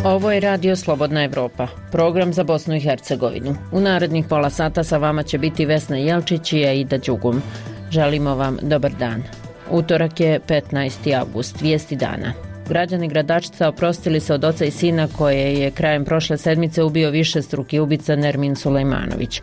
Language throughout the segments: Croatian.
Ovo je Radio Slobodna Evropa, program za Bosnu i Hercegovinu. U narednih pola sata sa vama će biti Vesna Jelčić i Aida Đugum. Želimo vam dobar dan. Utorak je 15. avgust, vijesti dana. Građani Gradačca oprostili se od oca i sina koje je krajem prošle sedmice ubio višestruki ubica Nermin Sulejmanović.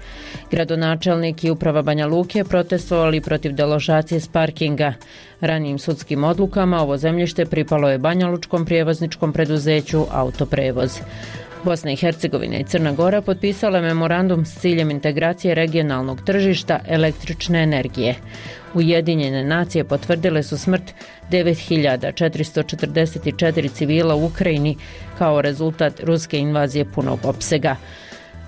Gradonačelnik i uprava Banja Luke protestovali protiv deložacije s parkinga. Ranijim sudskim odlukama ovo zemljište pripalo je banjalučkom prijevozničkom preduzeću Autoprevoz. Bosna i Hercegovina i Crna Gora potpisale memorandum s ciljem integracije regionalnog tržišta električne energije. Ujedinjene nacije potvrdile su smrt 9444 civila u Ukrajini kao rezultat ruske invazije punog opsega.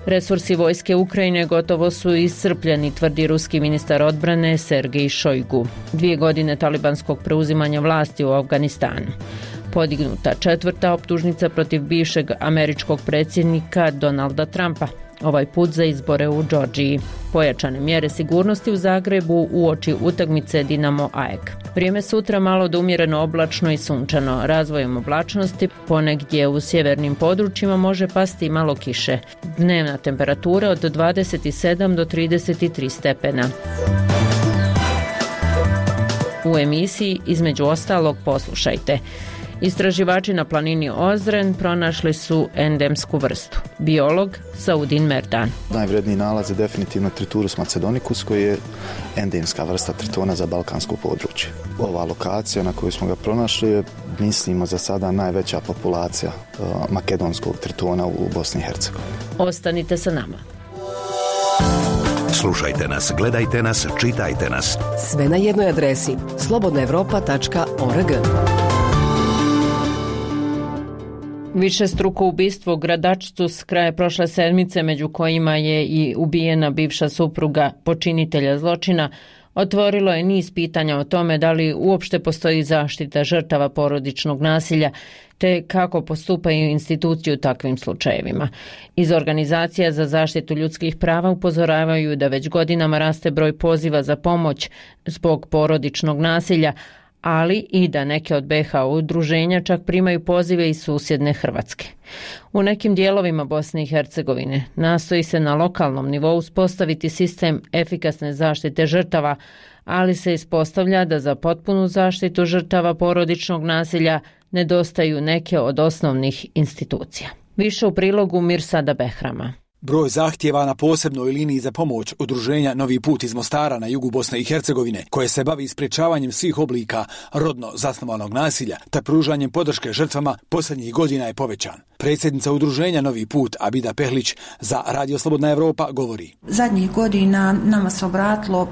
Resursi vojske Ukrajine gotovo su iscrpljeni, tvrdi ruski ministar odbrane Sergej Šojgu. 2 godine talibanskog preuzimanja vlasti u Afganistanu. Podignuta 4. optužnica protiv bivšeg američkog predsjednika Donalda Trumpa, ovaj put za izbore u Džordžiji. Pojačane mjere sigurnosti u Zagrebu uoči utakmice Dinamo AEK. Vrijeme sutra malo do umjereno oblačno i sunčano. Razvojem oblačnosti ponegdje u sjevernim područjima može pasti malo kiše. Dnevna temperatura od 27 do 33 stepena. U emisiji između ostalog poslušajte. Istraživači na planini Ozren pronašli su endemsku vrstu. Biolog Saudin Merdan. Najvredniji nalaz je definitivno Triturus macedonicus koji je endemska vrsta tritona za balkansko područje. Ova lokacija na kojoj smo ga pronašli je, mislimo, za sada najveća populacija makedonskog tritona u Bosni i Hercegovini. Ostanite sa nama. Slušajte nas, gledajte nas, čitajte nas. Sve na jednoj adresi slobodnaevropa.org. Višestruko ubistvo u Gradačcu s kraja prošle sedmice, među kojima je i ubijena bivša supruga počinitelja zločina, otvorilo je niz pitanja o tome da li uopšte postoji zaštita žrtava porodičnog nasilja, te kako postupaju institucije u takvim slučajevima. Iz organizacija za zaštitu ljudskih prava upozoravaju da već godinama raste broj poziva za pomoć zbog porodičnog nasilja, ali i da neke od BiH udruženja čak primaju pozive iz susjedne Hrvatske. U nekim dijelovima Bosne i Hercegovine nastoji se na lokalnom nivou uspostaviti sistem efikasne zaštite žrtava, ali se ispostavlja da za potpunu zaštitu žrtava porodičnog nasilja nedostaju neke od osnovnih institucija. Više u prilogu Mirsada Behrama. Broj zahtjeva na posebnoj liniji za pomoć udruženja Novi put iz Mostara na jugu Bosne i Hercegovine, koje se bavi sprječavanjem svih oblika rodno zasnovanog nasilja te pružanjem podrške žrtvama, posljednjih godina je povećan. Predsjednica udruženja Novi put Abida Pehlić za Radio Slobodna Evropa govori. Zadnjih godina nama se obratilo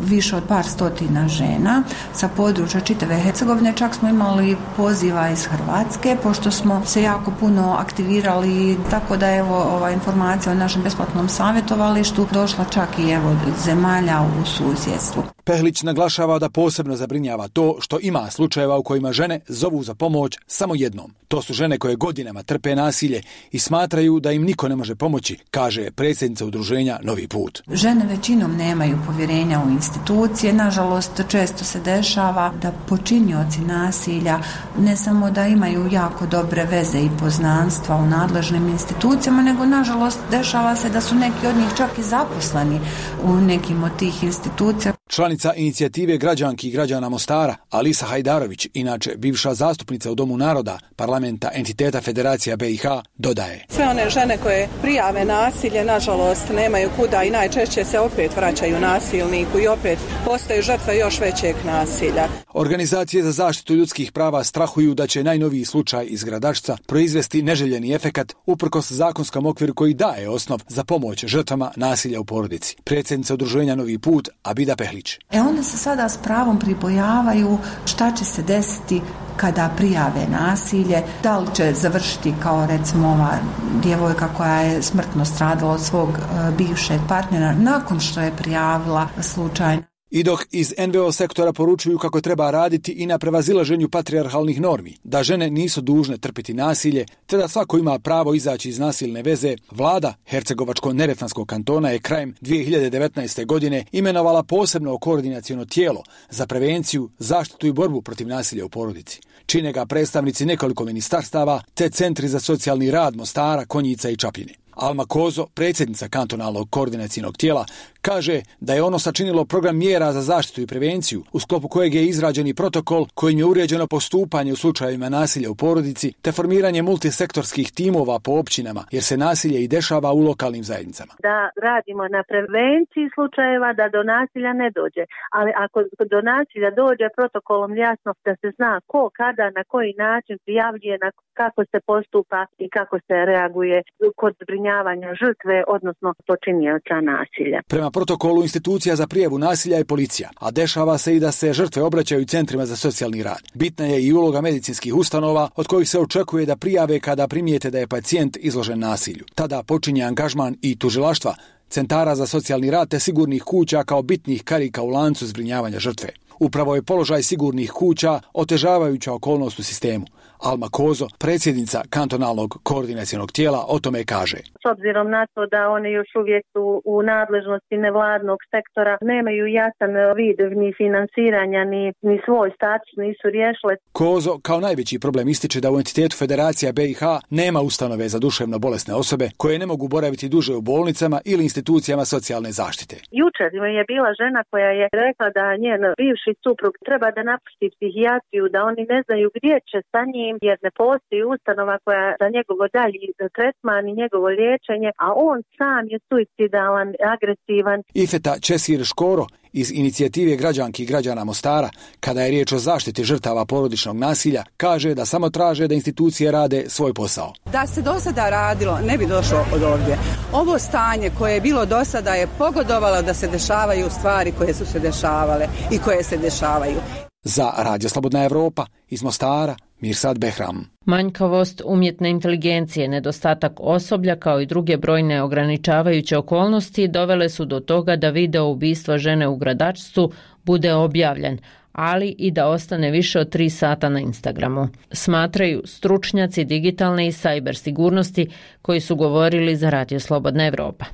više od par stotina žena sa područja čitave Hercegovine. Čak smo imali poziva iz Hrvatske, pošto smo se jako puno aktivirali, tako da ova informacija o našem besplatnom savjetovalištu došla čak i zemalja u susjedstvu. Pehlić naglašava da posebno zabrinjava to što ima slučajeva u kojima žene zovu za pomoć samo jednom. To su žene koje godinama trpe nasilje i smatraju da im niko ne može pomoći, kaže predsjednica udruženja Novi put. Žene većinom nemaju povjerenja u institucije. Nažalost, često se dešava da počinioci nasilja ne samo da imaju jako dobre veze i poznanstva u nadležnim institucijama, nego nažalost dešava se da su neki od njih čak i zaposleni u nekim od tih institucija. Članica inicijative građanki i građana Mostara, Alisa Hajdarović, inače bivša zastupnica u Domu naroda parlamenta entiteta Federacija BiH, dodaje. Sve one žene koje prijave nasilje, nažalost, nemaju kuda i najčešće se opet vraćaju nasilniku i opet postaju žrtve još većeg nasilja. Organizacije za zaštitu ljudskih prava strahuju da će najnoviji slučaj iz Gradačca proizvesti neželjeni efekat uprkos zakonskom okviru koji daje osnov za pomoć žrtvama nasilja u porodici. Predsjednica udruženja Novi put Abida Pehlić. One se sada s pravom pribojavaju šta će se desiti kada prijave nasilje, da li će završiti kao recimo ova djevojka koja je smrtno stradala od svog bivšeg partnera nakon što je prijavila slučaj. I dok iz NVO sektora poručuju kako treba raditi i na prevazilaženju patrijarhalnih normi, da žene nisu dužne trpiti nasilje, te da svako ima pravo izaći iz nasilne veze, vlada Hercegovačko-neretvanskog kantona je krajem 2019. godine imenovala posebno koordinaciono tijelo za prevenciju, zaštitu i borbu protiv nasilja u porodici. Čine ga predstavnici nekoliko ministarstava te centri za socijalni rad Mostara, Konjica i Čapljine. Alma Kozo, predsjednica kantonalnog koordinacijnog tijela, kaže da je ono sačinilo program mjera za zaštitu i prevenciju, u sklopu kojeg je izrađen i protokol kojim je uređeno postupanje u slučajevima nasilja u porodici te formiranje multisektorskih timova po općinama, jer se nasilje i dešava u lokalnim zajednicama. Da radimo na prevenciji slučajeva da do nasilja ne dođe, ali ako do nasilja dođe protokolom jasno da se zna ko, kada, na koji način prijavljuje, kako se postupa i kako se reaguje kod zbrinjavanja žrtve, odnosno počinioca nasilja. Prema protokolu institucija za prijavu nasilja je policija, a dešava se i da se žrtve obraćaju centrima za socijalni rad. Bitna je i uloga medicinskih ustanova od kojih se očekuje da prijave kada primijete da je pacijent izložen nasilju. Tada počinje angažman i tužilaštva, centara za socijalni rad te sigurnih kuća kao bitnih karika u lancu zbrinjavanja žrtve. Upravo je položaj sigurnih kuća otežavajuća okolnost u sistemu. Alma Kozo, predsjednica kantonalnog koordinacijnog tijela, o tome kaže. S obzirom na to da one još uvijek su u nadležnosti nevladnog sektora, nemaju jasan vid ni finansiranja, ni svoj status nisu riješile. Kozo kao najveći problem ističe da u entitetu Federacija BiH nema ustanove za duševno bolesne osobe koje ne mogu boraviti duže u bolnicama ili institucijama socijalne zaštite. Jučer je bila žena koja je rekla da njen bivši suprug treba da napusti psihijatriju, da oni ne znaju gdje će sa njim, jer ne postoji ustanova koja za njegovo dalji tretman i njegovo liječenje, a on sam je suicidalan, agresivan. Ifeta Česir Škoro iz inicijative građanki i građana Mostara, kada je riječ o zaštiti žrtava porodičnog nasilja, kaže da samo traže da institucije rade svoj posao. Da se do sada radilo, ne bi došlo od ovdje. Ovo stanje koje je bilo do sada je pogodovalo da se dešavaju stvari koje su se dešavale i koje se dešavaju. Za Radio Slobodna Evropa iz Mostara, Mirsad Behram. Manjkavost umjetne inteligencije, nedostatak osoblja kao i druge brojne ograničavajuće okolnosti dovele su do toga da video ubistva žene u Gradačcu bude objavljen, ali i da ostane više od 3 sata na Instagramu, smatraju stručnjaci digitalne i sajber sigurnosti koji su govorili za Radio Slobodna Evropa.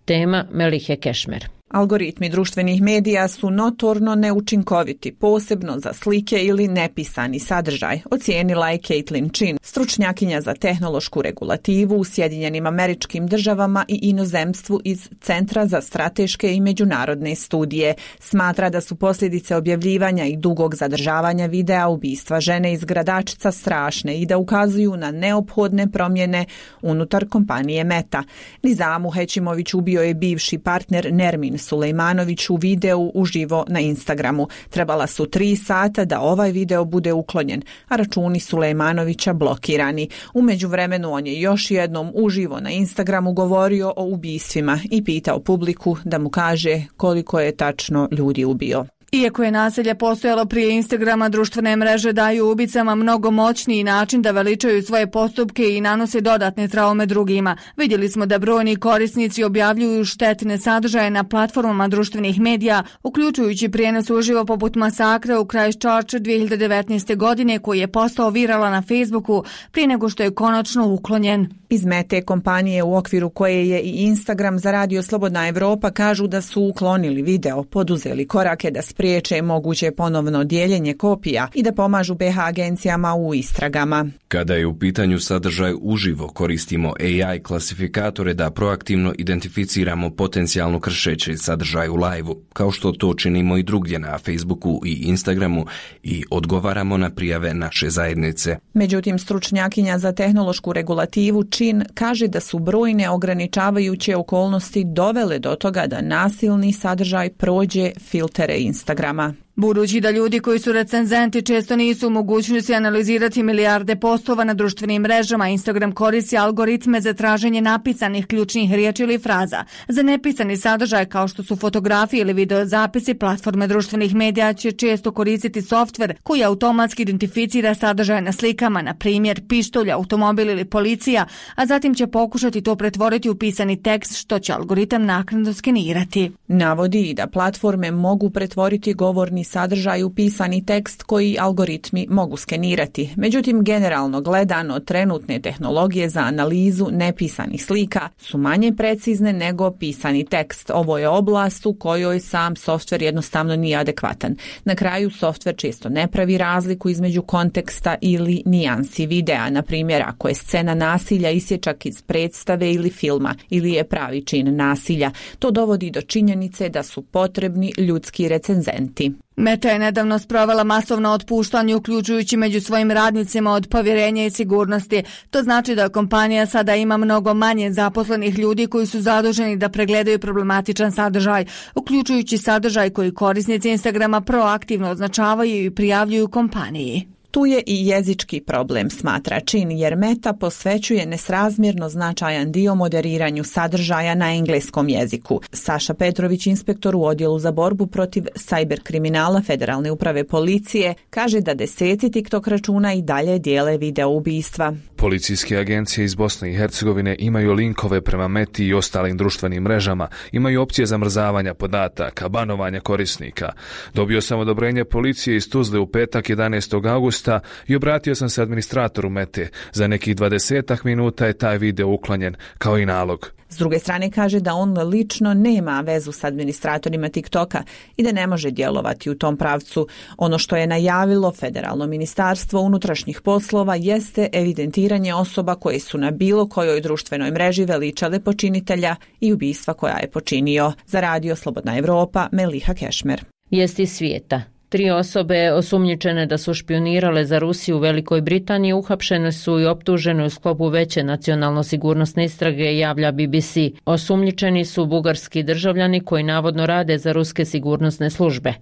Tema Melihe Kešmer. Algoritmi društvenih medija su notorno neučinkoviti, posebno za slike ili nepisani sadržaj, ocijenila je Caitlin Chin, stručnjakinja za tehnološku regulativu u Sjedinjenim Američkim Državama i inozemstvu iz Centra za strateške i međunarodne studije. Smatra da su posljedice objavljivanja i dugog zadržavanja videa ubistva žene iz Gradačca strašne i da ukazuju na neophodne promjene unutar kompanije Meta. Nizamu Hećimović ubio je bivši partner Nermin Sulejmanović u videu uživo na Instagramu. Trebala su 3 sata da ovaj video bude uklonjen, a računi Sulejmanovića blokirani. U međuvremenu on je još jednom uživo na Instagramu govorio o ubistvima i pitao publiku da mu kaže koliko je tačno ljudi ubio. Iako je nasilje postojalo prije Instagrama, društvene mreže daju ubicama mnogo moćniji način da veličaju svoje postupke i nanose dodatne traume drugima. Vidjeli smo da brojni korisnici objavljuju štetne sadržaje na platformama društvenih medija, uključujući prijenos uživo poput masakra u Christchurchu 2019. godine koji je postao virala na Facebooku prije nego što je konačno uklonjen. Iz Mete kompanije u okviru koje je i Instagram za Radio Slobodna Evropa kažu da su uklonili video, poduzeli korake da spriječe moguće ponovno dijeljenje kopija i da pomažu BiH agencijama u istragama. Kada je u pitanju sadržaj uživo, koristimo AI klasifikatore da proaktivno identificiramo potencijalno kršeći sadržaj u live-u, kao što to činimo i drugdje na Facebooku i Instagramu i odgovaramo na prijave naše zajednice. Međutim, stručnjakinja za tehnološku regulativu Chin kaže da su brojne ograničavajuće okolnosti dovele do toga da nasilni sadržaj prođe filtere Instagrama. Budući da ljudi koji su recenzenti često nisu u mogućnosti analizirati milijarde postova na društvenim mrežama, Instagram koristi algoritme za traženje napisanih ključnih riječi ili fraza. Za nepisani sadržaj kao što su fotografije ili videozapisi, platforme društvenih medija će često koristiti softver koji automatski identificira sadržaj na slikama, na primjer pištolj, automobil ili policija, a zatim će pokušati to pretvoriti u pisani tekst što će algoritam naknadno skenirati. Navodi i da platforme mogu pretvoriti govorni sadržaj u pisani tekst koji algoritmi mogu skenirati. Međutim, generalno gledano, trenutne tehnologije za analizu nepisanih slika su manje precizne nego pisani tekst. Ovo je oblast u kojoj sam softver jednostavno nije adekvatan. Na kraju, softver često ne pravi razliku između konteksta ili nijansi videa. Na primjer, ako je scena nasilja isječak iz predstave ili filma ili je pravi čin nasilja, to dovodi do činjenice da su potrebni ljudski recenzenti. Meta je nedavno sprovela masovno otpuštanje, uključujući među svojim radnicima od povjerenja i sigurnosti. To znači da kompanija sada ima mnogo manje zaposlenih ljudi koji su zaduženi da pregledaju problematičan sadržaj, uključujući sadržaj koji korisnici Instagrama proaktivno označavaju i prijavljuju kompaniji. Tu je i jezički problem, smatra Chin, jer Meta posvećuje nesrazmjerno značajan dio moderiranju sadržaja na engleskom jeziku. Saša Petrović, inspektor u odjelu za borbu protiv sajber kriminala Federalne uprave policije, kaže da 10 TikTok računa i dalje dijele video ubistva. Policijske agencije iz Bosne i Hercegovine imaju linkove prema Meti i ostalim društvenim mrežama, imaju opcije zamrzavanja podataka, banovanja korisnika. Dobio sam odobrenje policije iz Tuzle u petak 11. augusta i obratio sam se administratoru Mete. Za nekih 20 minuta je taj video uklonjen, kao i nalog. S druge strane kaže da on lično nema vezu s administratorima TikToka i da ne može djelovati u tom pravcu. Ono što je najavilo Federalno ministarstvo unutrašnjih poslova jeste evidentiranje osoba koje su na bilo kojoj društvenoj mreži veličale počinitelja i ubistva koja je počinio. Za radio Slobodna Evropa, Meliha Kešmer. Vijesti svijeta. 3 osobe osumnjičene da su špionirale za Rusiju u Velikoj Britaniji uhapšene su i optužene u sklopu veće nacionalno-sigurnosne istrage, javlja BBC. Osumnjičeni su bugarski državljani koji navodno rade za ruske sigurnosne službe.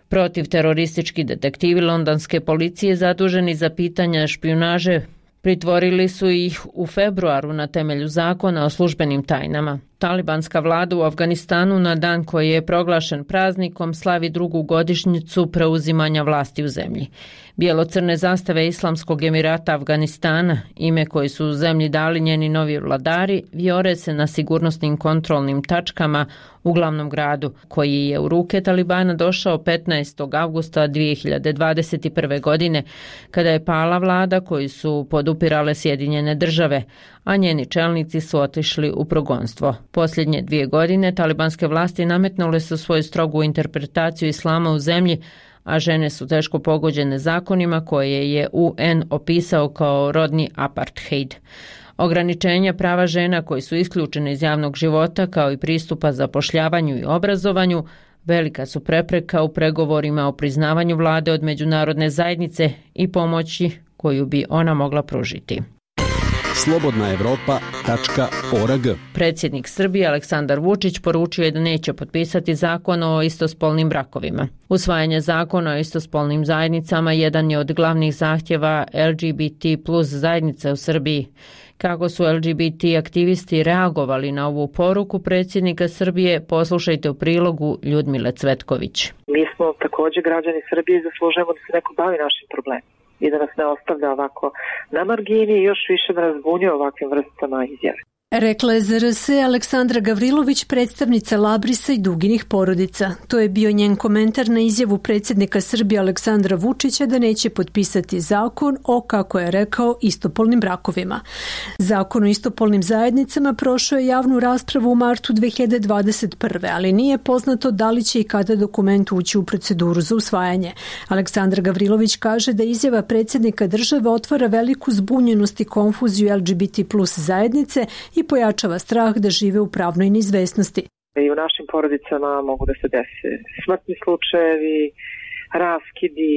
Protivteroristički detektivi londonske policije zaduženi za pitanja špijunaže pritvorili su ih u februaru na temelju zakona o službenim tajnama. Talibanska vlada u Afganistanu na dan koji je proglašen praznikom slavi 2. godišnjicu preuzimanja vlasti u zemlji. Bijelo-crne zastave Islamskog Emirata Afganistana, ime koji su u zemlji dali njeni novi vladari, vijore se na sigurnosnim kontrolnim tačkama u glavnom gradu, koji je u ruke Talibana došao 15. avgusta 2021. godine, kada je pala vlada koju su podupirale Sjedinjene države, a njeni čelnici su otišli u progonstvo. Posljednje 2 godine talibanske vlasti nametnule su svoju strogu interpretaciju islama u zemlji, a žene su teško pogođene zakonima koje je UN opisao kao rodni apartheid. Ograničenja prava žena koji su isključene iz javnog života kao i pristupa zapošljavanju i obrazovanju velika su prepreka u pregovorima o priznavanju vlade od međunarodne zajednice i pomoći koju bi ona mogla pružiti. slobodnaevropa.org. Predsjednik Srbije Aleksandar Vučić poručio je da neće potpisati zakon o istospolnim brakovima. Usvajanje zakona o istospolnim zajednicama jedan je od glavnih zahtjeva LGBT plus zajednice u Srbiji. Kako su LGBT aktivisti reagovali na ovu poruku predsjednika Srbije, poslušajte u prilogu Ljudmile Cvetković. Mi smo također građani Srbije i zaslužujemo da se neko bavi našim problemima i da nas ne ostavlja ovako na margini i još više da nas zbunjuje ovakvim vrstama izjave. Rekla je ZRS Aleksandra Gavrilović, predstavnica Labrisa i Duginih porodica. To je bio njen komentar na izjavu predsjednika Srbije Aleksandra Vučića da neće potpisati zakon o, kako je rekao, istopolnim brakovima. Zakon o istopolnim zajednicama prošao je javnu raspravu u martu 2021. ali nije poznato da li će i kada dokument ući u proceduru za usvajanje. Aleksandra Gavrilović kaže da izjava predsjednika države otvara veliku zbunjenost i konfuziju LGBT plus zajednice i pojačava strah da žive u pravnoj neizvesnosti. I u našim porodicama mogu da se dese smrtni slučajevi, raskidi,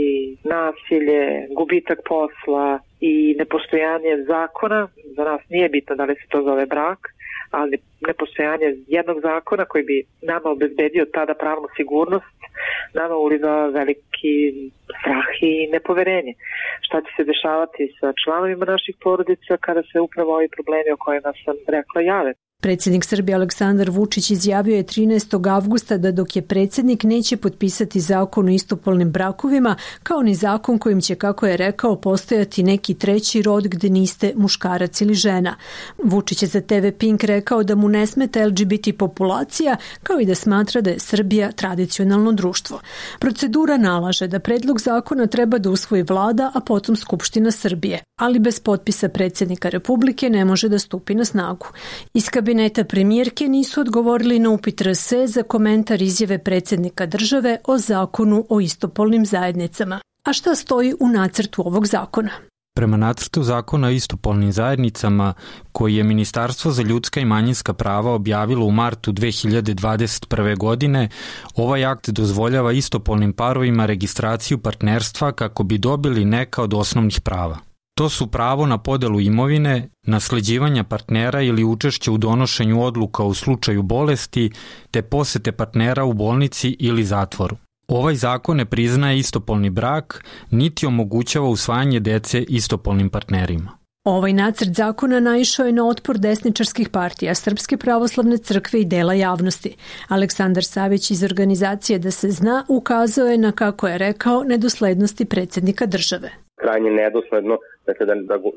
nasilje, gubitak posla i nepostojanje zakona. Za nas nije bitno da li se to zove brak, ali nepostojanje jednog zakona koji bi nama obezbedio tada pravnu sigurnost, nama uliva veliki strah i nepoverenje. Šta će se dešavati sa članovima naših porodica kada se upravo ovi problemi o kojima sam rekla jave? Predsjednik Srbije Aleksandar Vučić izjavio je 13. avgusta da dok je predsjednik neće potpisati zakon o istopolnim brakovima, kao ni zakon kojim će, kako je rekao, postojati neki treći rod gde niste muškarac ili žena. Vučić je za TV Pink rekao da mu ne smeta LGBT populacija, kao i da smatra da je Srbija tradicionalno društvo. Procedura nalaže da predlog zakona treba da usvoji vlada, a potom Skupština Srbije, ali bez potpisa predsjednika Republike ne može da stupi na snagu. Iz kabineta premijerke nisu odgovorili na upit RS za komentar izjave predsjednika države o zakonu o istopolnim zajednicama. A šta stoji u nacrtu ovog zakona? Prema nacrtu zakona o istopolnim zajednicama, koji je Ministarstvo za ljudska i manjinska prava objavilo u martu 2021. godine, ovaj akt dozvoljava istopolnim parovima registraciju partnerstva kako bi dobili neka od osnovnih prava. To su pravo na podelu imovine, nasleđivanja partnera ili učešće u donošenju odluka u slučaju bolesti, te posete partnera u bolnici ili zatvoru. Ovaj zakon ne priznaje istopolni brak, niti omogućava usvajanje dece istopolnim partnerima. Ovaj nacrt zakona naišao je na otpor desničarskih partija, Srpske pravoslavne crkve i dela javnosti. Aleksandar Savić iz organizacije Da se zna ukazao je na, kako je rekao, nedoslednosti predsjednika države. Krajnje nedosledno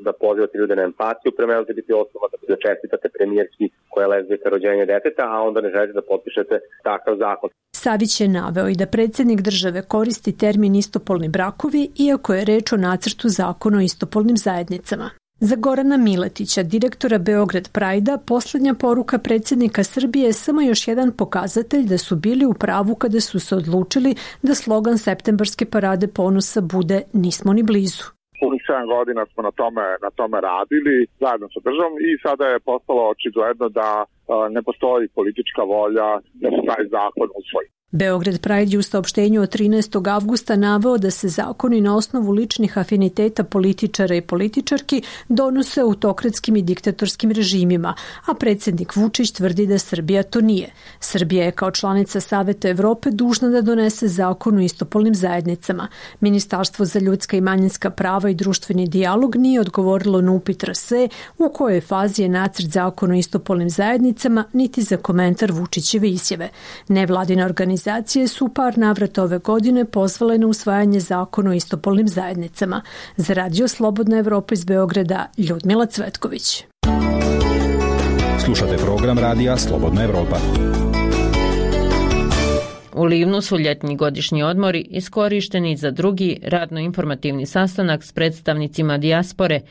da pozivate ljude na empatiju prema LGBT osobama, da čestitate premijerski koja je lezbijka rođenje deteta, a onda ne želite da potpišete takav zakon. Savić je naveo i da predsjednik države koristi termin istopolni brakovi, iako je reč o nacrtu zakona o istopolnim zajednicama. Za Gorana Miletića, direktora Beograd Prajda, posljednja poruka predsjednika Srbije je samo još jedan pokazatelj da su bili u pravu kada su se odlučili da slogan septembarske parade ponosa bude "Nismo ni blizu". Punih 7 godina smo na tome radili zajedno sa državom i sada je postalo očigledno da ne postoji politička volja da se taj zakon usvoji. Beograd Pride je u saopštenju od 13. avgusta naveo da se zakoni na osnovu ličnih afiniteta političara i političarki donose autokratskim i diktatorskim režimima, a predsjednik Vučić tvrdi da Srbija to nije. Srbija je kao članica Saveta Evrope dužna da donese zakon o istopolnim zajednicama. Ministarstvo za ljudska i manjinska prava i društveni dijalog nije odgovorilo na upit RS u kojoj fazi je nacrt zakona o istopolnim zajednicama, niti za komentar Vučićeve izjave. Nevladine organizacije su par navrata ove godine pozvale na usvajanje zakona o istopolnim zajednicama. Za Radio Slobodna Evropa iz Beograda, Ljudmila Cvetković. Slušate program Radija Slobodna Evropa. U Livnu su ljetni godišnji odmori iskorišteni za drugi radno-informativni sastanak s predstavnicima dijaspore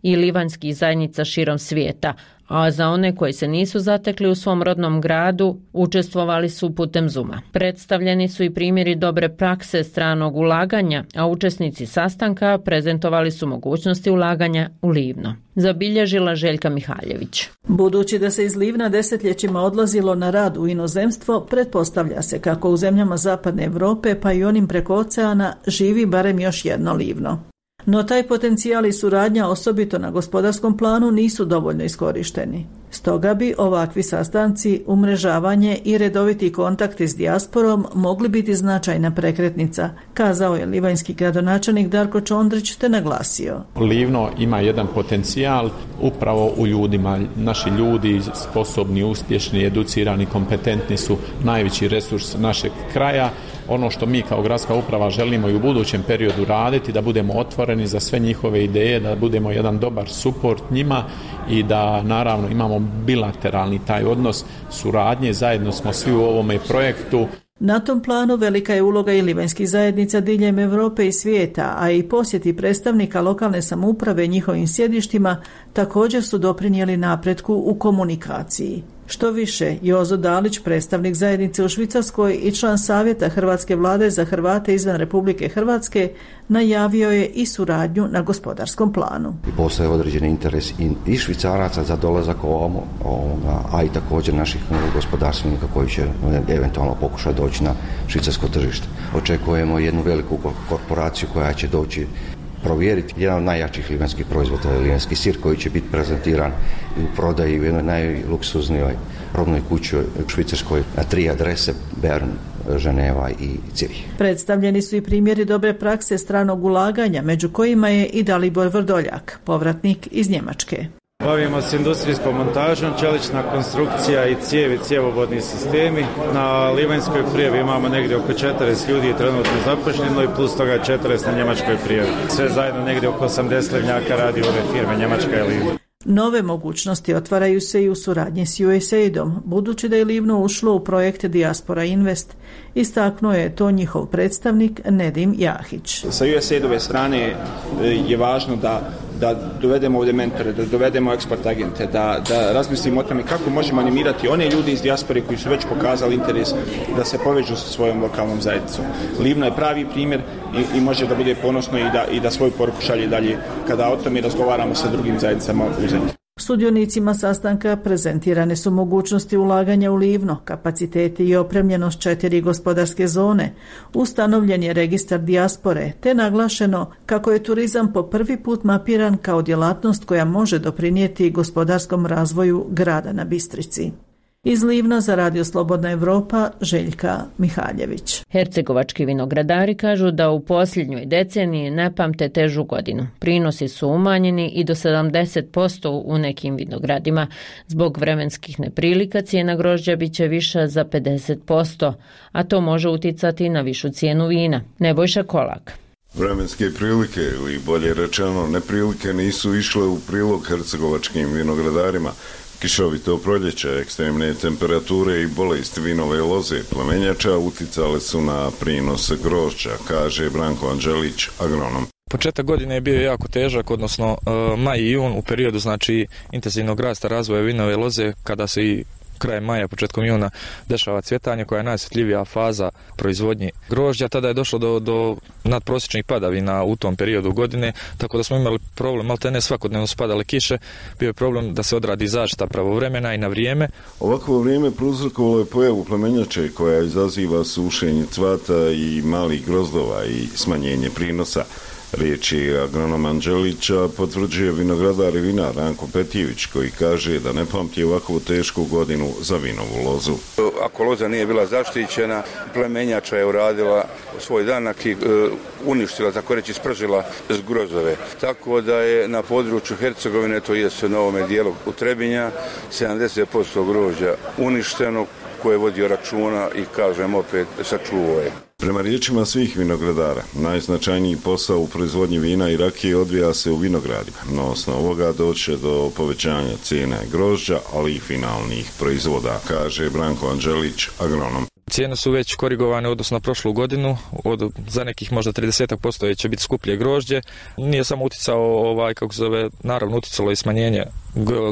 i livanskih zajednica širom svijeta, a za one koji se nisu zatekli u svom rodnom gradu učestvovali su putem Zooma. Predstavljeni su i primjeri dobre prakse stranog ulaganja, a učesnici sastanka prezentovali su mogućnosti ulaganja u Livno. Zabilježila Željka Mihaljević. Budući da se iz Livna desetljećima odlazilo na rad u inozemstvo, pretpostavlja se kako u zemljama Zapadne Europe pa i onim preko oceana živi barem još jedno Livno. No taj potencijal i suradnja, osobito na gospodarskom planu, nisu dovoljno iskorišteni. Stoga bi ovakvi sastanci, umrežavanje i redoviti kontakti s dijasporom mogli biti značajna prekretnica, kazao je livanjski gradonačelnik Darko Čondrić te naglasio. Livno ima jedan potencijal upravo u ljudima. Naši ljudi sposobni, uspješni, educirani, kompetentni su najveći resurs našeg kraja. Ono što mi kao gradska uprava želimo i u budućem periodu raditi, da budemo otvoreni za sve njihove ideje, da budemo jedan dobar suport njima i da naravno imamo bilateralni taj odnos suradnje, zajedno smo svi u ovome projektu. Na tom planu velika je uloga i livanjskih zajednica diljem Europe i svijeta, a i posjeti predstavnika lokalne samouprave njihovim sjedištima također su doprinijeli napretku u komunikaciji. Što više, Jozo Dalić, predstavnik zajednice u Švicarskoj i član Savjeta Hrvatske vlade za Hrvate izvan Republike Hrvatske, najavio je i suradnju na gospodarskom planu. Postoje određeni interes i Švicaraca za dolazak ovamo, a i također naših gospodarstvenika koji će eventualno pokušati doći na švicarsko tržište. Očekujemo jednu veliku korporaciju koja će doći provjeriti jedan od najjačih livanjskih proizvoda, livanjski sir, koji će biti prezentiran u prodaji u jednoj najluksuznijoj robnoj kući u Švicarskoj na 3 adrese: Bern, Ženeva i Cirih. Predstavljeni su i primjeri dobre prakse stranog ulaganja, među kojima je i Dalibor Vrdoljak, povratnik iz Njemačke. Bavimo se industrijskom montažom, čelična konstrukcija i cijevi, cjevovodni sistemi. Na Livanjskoj prijavi imamo negdje oko 40 ljudi trenutno zaposleno i plus toga 40 na njemačkoj prijavi. Sve zajedno negdje oko 80 livnjaka radi ove firme Njemačka i Livno. Nove mogućnosti otvaraju se i u suradnji s USAID-om, budući da je Livno ušlo u projekt Diaspora Invest. Istaknuo je to njihov predstavnik Nedim Jahić. Sa USAID-ove strane je važno da dovedemo ovdje mentore, da dovedemo eksport agente, da razmislimo o tome kako možemo animirati one ljudi iz dijaspore koji su već pokazali interes da se povežu sa svojom lokalnom zajednicom. Livno je pravi primjer i može da bude ponosno i da svoju poruku šalje dalje kada o tome razgovaramo sa drugim zajednicama u zemlji. Sudionicima sastanka prezentirane su mogućnosti ulaganja u Livno, kapaciteti i opremljenost 4 gospodarske zone, ustanovljen je registar dijaspore, te naglašeno kako je turizam po prvi put mapiran kao djelatnost koja može doprinijeti gospodarskom razvoju grada na Bistrici. Iz Livna za Radio Slobodna Evropa, Željka Mihaljević. Hercegovački vinogradari kažu da u posljednjoj deceniji ne pamte težu godinu. Prinosi su umanjeni i do 70% u nekim vinogradima. Zbog vremenskih neprilika cijena grožđa bit će viša za 50%, a to može uticati na višu cijenu vina. Nebojša Kolak. Vremenske prilike, ili bolje rečeno neprilike, nisu išle u prilog hercegovačkim vinogradarima. Kišovito proljeće, ekstremne temperature i bolesti vinove loze plamenjača uticale su na prinos grožđa, kaže Branko Anđelić, agronom. Početak godine je bio jako težak, odnosno maj i jun u periodu intenzivnog rasta razvoja vinove loze, kada se i krajem maja, početkom juna dešava cvjetanje koja je najosjetljivija faza proizvodnje grožđa. Tada je došlo do nadprosječnih padavina u tom periodu godine, tako da smo imali problem, maltene svakodnevno su padale kiše, bio je problem da se odradi zaštita pravovremena i na vrijeme. Ovakvo vrijeme prouzrokovalo je pojavu plemenjače koja izaziva sušenje cvata i malih grozdova i smanjenje prinosa. Riječi agronoma Anđelića potvrđuje vinogradar i vinar Ranko Petijević koji kaže da ne pamti ovakvu tešku godinu za vinovu lozu. Ako loza nije bila zaštićena, plemenjača je uradila svoj danak i uništila, tako reći spržila grozdove. Tako da je na području Hercegovine, to jest na ovome dijelu u Trebinja, 70% grožđa uništeno, koje je vodio računa i, kažem opet, sačuvao je. Prema riječima svih vinogradara, najznačajniji posao u proizvodnji vina i rakije odvija se u vinogradima. Na osnovu ovoga doće do povećanja cijene grožđa, ali i finalnih proizvoda, kaže Branko Anđelić, agronom. Cijene su već korigovane odnosno na prošlu godinu, za nekih možda 30% će biti skuplje grožđe. Nije samo uticao naravno uticalo i smanjenje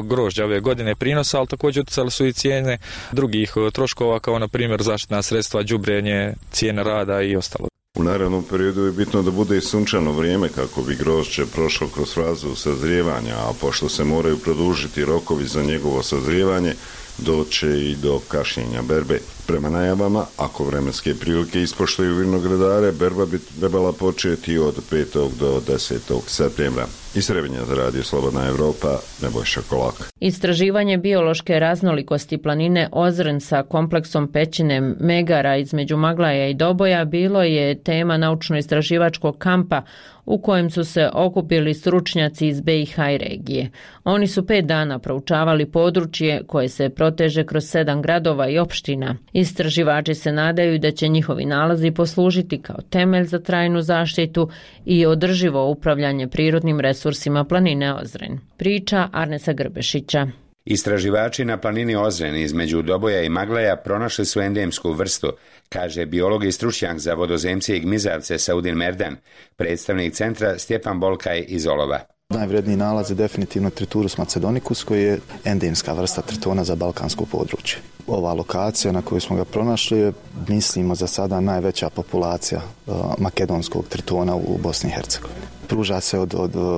grožđa ove godine prinosa, ali također uticale su i cijene drugih troškova kao na primjer zaštitna sredstva, đubrenje, cijene rada i ostalo. U narednom periodu je bitno da bude sunčano vrijeme kako bi grožđe prošlo kroz fazu sazrijevanja, a pošto se moraju produžiti rokovi za njegovo sazrijevanje, doće i do kašnjenja berbe. Prema najavama, ako vremenske prilike ispoštuju vinogradare, berba bi trebala početi od 5. do 10. septembra. Iz Trebinja za Radio Slobodna Evropa, Nebojša Kolak. Istraživanje biološke raznolikosti planine Ozren sa kompleksom pećine Megara između Maglaja i Doboja bilo je tema naučno-istraživačkog kampa u kojem su se okupili stručnjaci iz BiH i regije. Oni su 5 dana proučavali područje koje se proteže kroz 7 gradova i opština. Istraživači se nadaju da će njihovi nalazi poslužiti kao temelj za trajnu zaštitu i održivo upravljanje prirodnim resursima planine Ozren. Priča Arnesa Grbešića. Istraživači na planini Ozren između Doboja i Maglaja pronašli su endemsku vrstu, kaže biolog i stručnjak za vodozemce i gmizavce Saudin Merdan, predstavnik centra Stjepan Bolkaj iz Olova. Najvredniji nalaz je definitivno Triturus macedonicus koji je endemska vrsta tritona za balkansko područje. Ova lokacija na kojoj smo ga pronašli je, mislimo, za sada najveća populacija makedonskog tritona u Bosni i Hercegovini. Pruža se od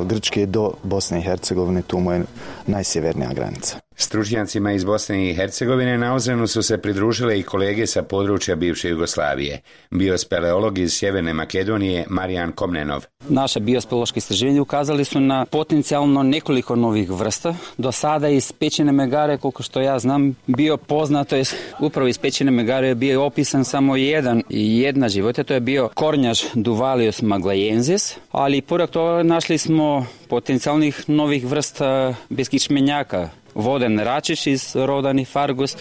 Grčke do Bosne i Hercegovine, tu mu je najsjevernija granica. Stručnjacima iz Bosne i Hercegovine na Ozrenu su se pridružile i kolege sa područja bivše Jugoslavije. Biospeleolog iz Sjeverne Makedonije Marijan Komnenov. Naše biospeleološke istraživanje ukazali su na potencijalno nekoliko novih vrsta. Do sada iz Pećine megare, koliko što ja znam, bio poznato je upravo iz Pećine megare bio opisan samo jedna životinja, to je bio kornjač Duvalius maglajensis, ali pored toga našli smo potencijalnih novih vrsta beskičmenjaka. Voden račiš iz roda Nifargus,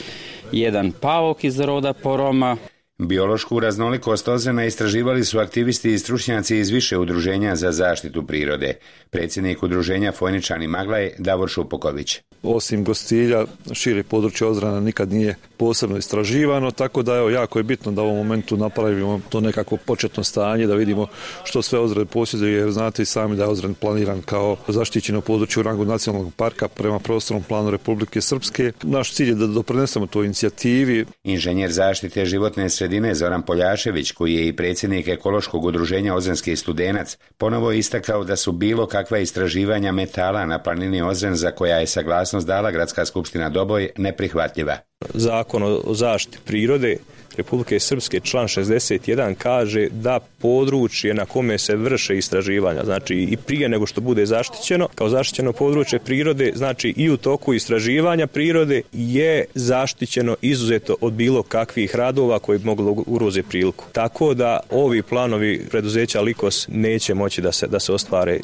jedan pauk iz roda Poroma. Biološku raznolikost Ozrena istraživali su aktivisti i stručnjaci iz više udruženja za zaštitu prirode. Predsjednik udruženja Fojničani Maglaj Davor Šupoković. Osim Gostilja, šire područje Ozrena nikad nije posebno istraživano, tako da jako je bitno da u ovom momentu napravimo to nekako početno stanje, da vidimo što sve Ozren posjeduje, jer znate i sami da je Ozren planiran kao zaštićeno područje u rangu nacionalnog parka prema prostornom planu Republike Srpske. Naš cilj je da doprinesemo toj inicijativi. Inženjer zaštite životne sredine Zoran Poljašević, koji je i predsjednik ekološkog udruženja Ozrenski studenac, ponovo istakao da su bilo kakva istraživanja metala na planini Ozren, za koja je saglasnost dala Gradska skupština Doboj, neprihvatljiva. Zakon o zaštiti prirode Republike Srpske član 61 kaže da područje na kome se vrše istraživanja, znači i prije nego što bude zaštićeno, kao zaštićeno područje prirode, znači i u toku istraživanja prirode je zaštićeno izuzeto od bilo kakvih radova koji bi mogli ugroziti priliku. Tako da ovi planovi preduzeća Likos neće moći da se ostvare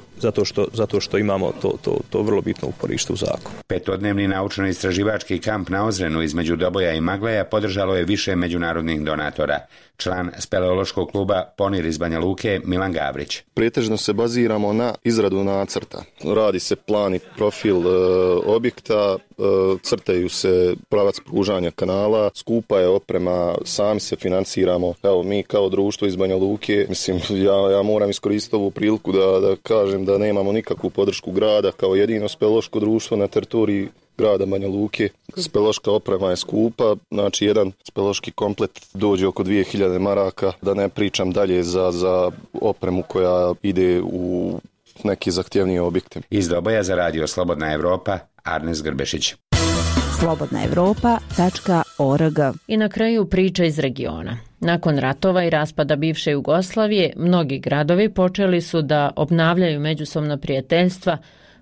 zato što imamo to vrlo bitno uporište u zakonu. Petodnevni naučno-istraživački kamp na Ozrenu između Doboja i Maglaja podržalo je više međunarodnih donatora. Član speleološkog kluba Ponir iz Banja Luke Milan Gavrić. Pretežno se baziramo na izradu nacrta. Radi se plan i profil objekta, crtaju se pravac pružanja kanala, skupa je oprema, sami se financiramo. Evo, mi kao društvo iz Banja Luke, mislim, ja moram iskoristiti ovu priliku da kažem da nemamo nikakvu podršku grada kao jedino speleološko društvo na teritoriji grada Banja Luke. Speleološka oprema je skupa, znači jedan speleološki komplet dođe oko 2000 maraka, da ne pričam dalje za opremu koja ide u neke zahtjevnije objekte. Iz Doboja za radio Slobodna Evropa, Arnes Grbešić. slobodnaevropa.org. I na kraju priča iz regiona. Nakon ratova i raspada bivše Jugoslavije, mnogi gradovi počeli su da obnavljaju međusobna prijateljstva,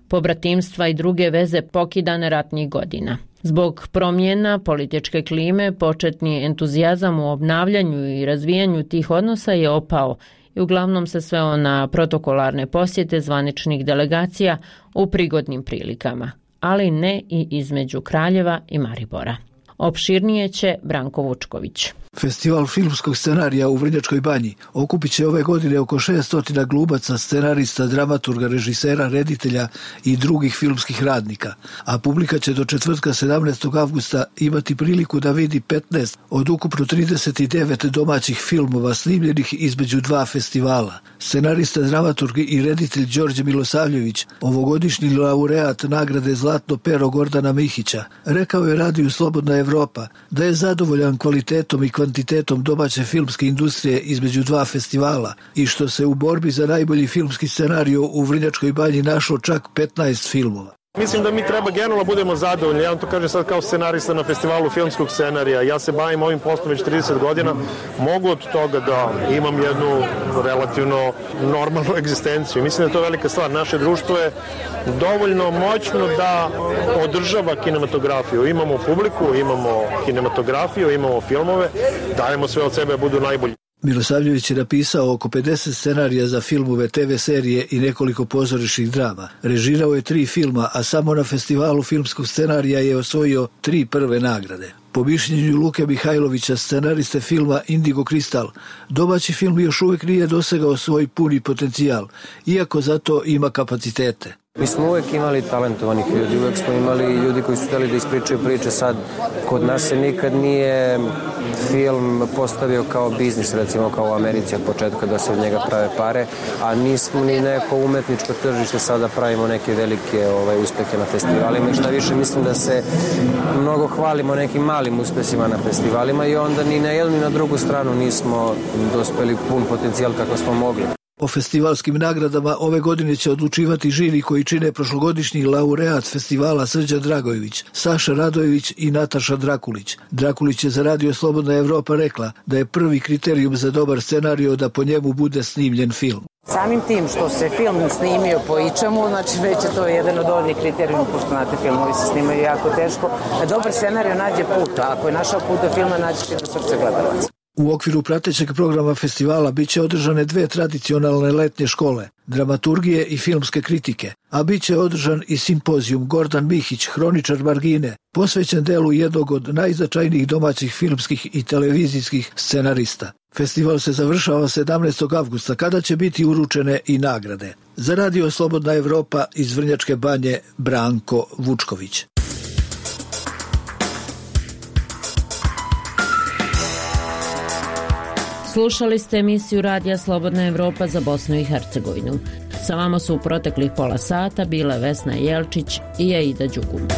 pobratimstva i druge veze pokidane ratnih godina. Zbog promjena političke klime, početni entuzijazam u obnavljanju i razvijanju tih odnosa je opao i uglavnom se sveo na protokolarne posjete zvaničnih delegacija u prigodnim prilikama, ali ne i između Kraljeva i Maribora. Opširnije će Branko Vučković. Festival filmskog scenarija u Vrnjačkoj Banji okupit će ove godine oko 600 glumaca, scenarista, dramaturga, režisera, reditelja i drugih filmskih radnika, a publika će do četvrtka 17. avgusta imati priliku da vidi 15 od ukupno 39 domaćih filmova snimljenih između dva festivala. Scenarista, dramaturg i reditelj Đorđe Milosavljević, ovogodišnji laureat nagrade Zlatno pero Gordana Mihića, rekao je radiju Slobodna Evropa da je zadovoljan kvalitetom i kvantitetom domaće filmske industrije između dva festivala i što se u borbi za najbolji filmski scenario u Vrnjačkoj Banji našlo čak 15 filmova. Mislim da mi treba generalno budemo zadovoljni. Ja vam to kažem sad kao scenarista na festivalu filmskog scenarija. Ja se bavim ovim poslom već 30 godina. Mogu od toga da imam jednu relativno normalnu egzistenciju. Mislim da je to velika stvar. Naše društvo je dovoljno moćno da održava kinematografiju. Imamo publiku, imamo kinematografiju, imamo filmove. Dajemo sve od sebe da budu najbolji. Milosavljević je napisao oko 50 scenarija za filmove, TV serije i nekoliko pozorišnih drama. Režirao je 3 filma, a samo na festivalu filmskog scenarija je osvojio 3 prve nagrade. Po mišljenju Luke Mihajlovića, scenariste filma Indigo Kristal, domaći film još uvijek nije dosegao svoj puni potencijal, iako zato ima kapacitete. Mi smo uvijek imali talentovanih ljudi, uvijek smo imali ljudi koji su htjeli da ispričaju priče. Sad, kod nas se nikad nije film postavio kao biznis, recimo kao u Americi od početka da se od njega prave pare, a nismo ni neko umetničko tržište, sada pravimo neke velike uspehe na festivalima i šta više mislim da se mnogo hvalimo nekim malim uspesima na festivalima i onda ni na jednu ni na drugu stranu nismo dospeli pun potencijal kako smo mogli. O festivalskim nagradama ove godine će odlučivati žiri koji čine prošlogodišnji laureat festivala Srđan Dragojević, Saša Radojević i Nataša Drakulić. Drakulić je za Radio Slobodna Evropa rekla da je prvi kriterijum za dobar scenario da po njemu bude snimljen film. Samim tim što se film snimio po ičemu, znači već je to jedan od ovih kriterijuma, pošto znate, filmovi se snimaju jako teško, da dobar scenario nađe put, a ako je našao put do filma, nađe će do srce gledalaca. U okviru pratećeg programa festivala biće održane 2 tradicionalne letnje škole, dramaturgije i filmske kritike, a biće održan i simpozijum Gordan Mihić, hroničar margine, posvećen delu jednog od najznačajnijih domaćih filmskih i televizijskih scenarista. Festival se završava 17. avgusta, kada će biti uručene i nagrade. Za Radio Slobodna Evropa iz Vrnjačke Banje, Branko Vučković. Slušali ste emisiju Radija Slobodna Evropa za Bosnu i Hercegovinu. Sa vama su u proteklih pola sata bile Vesna Jelčić i Aida Đugum.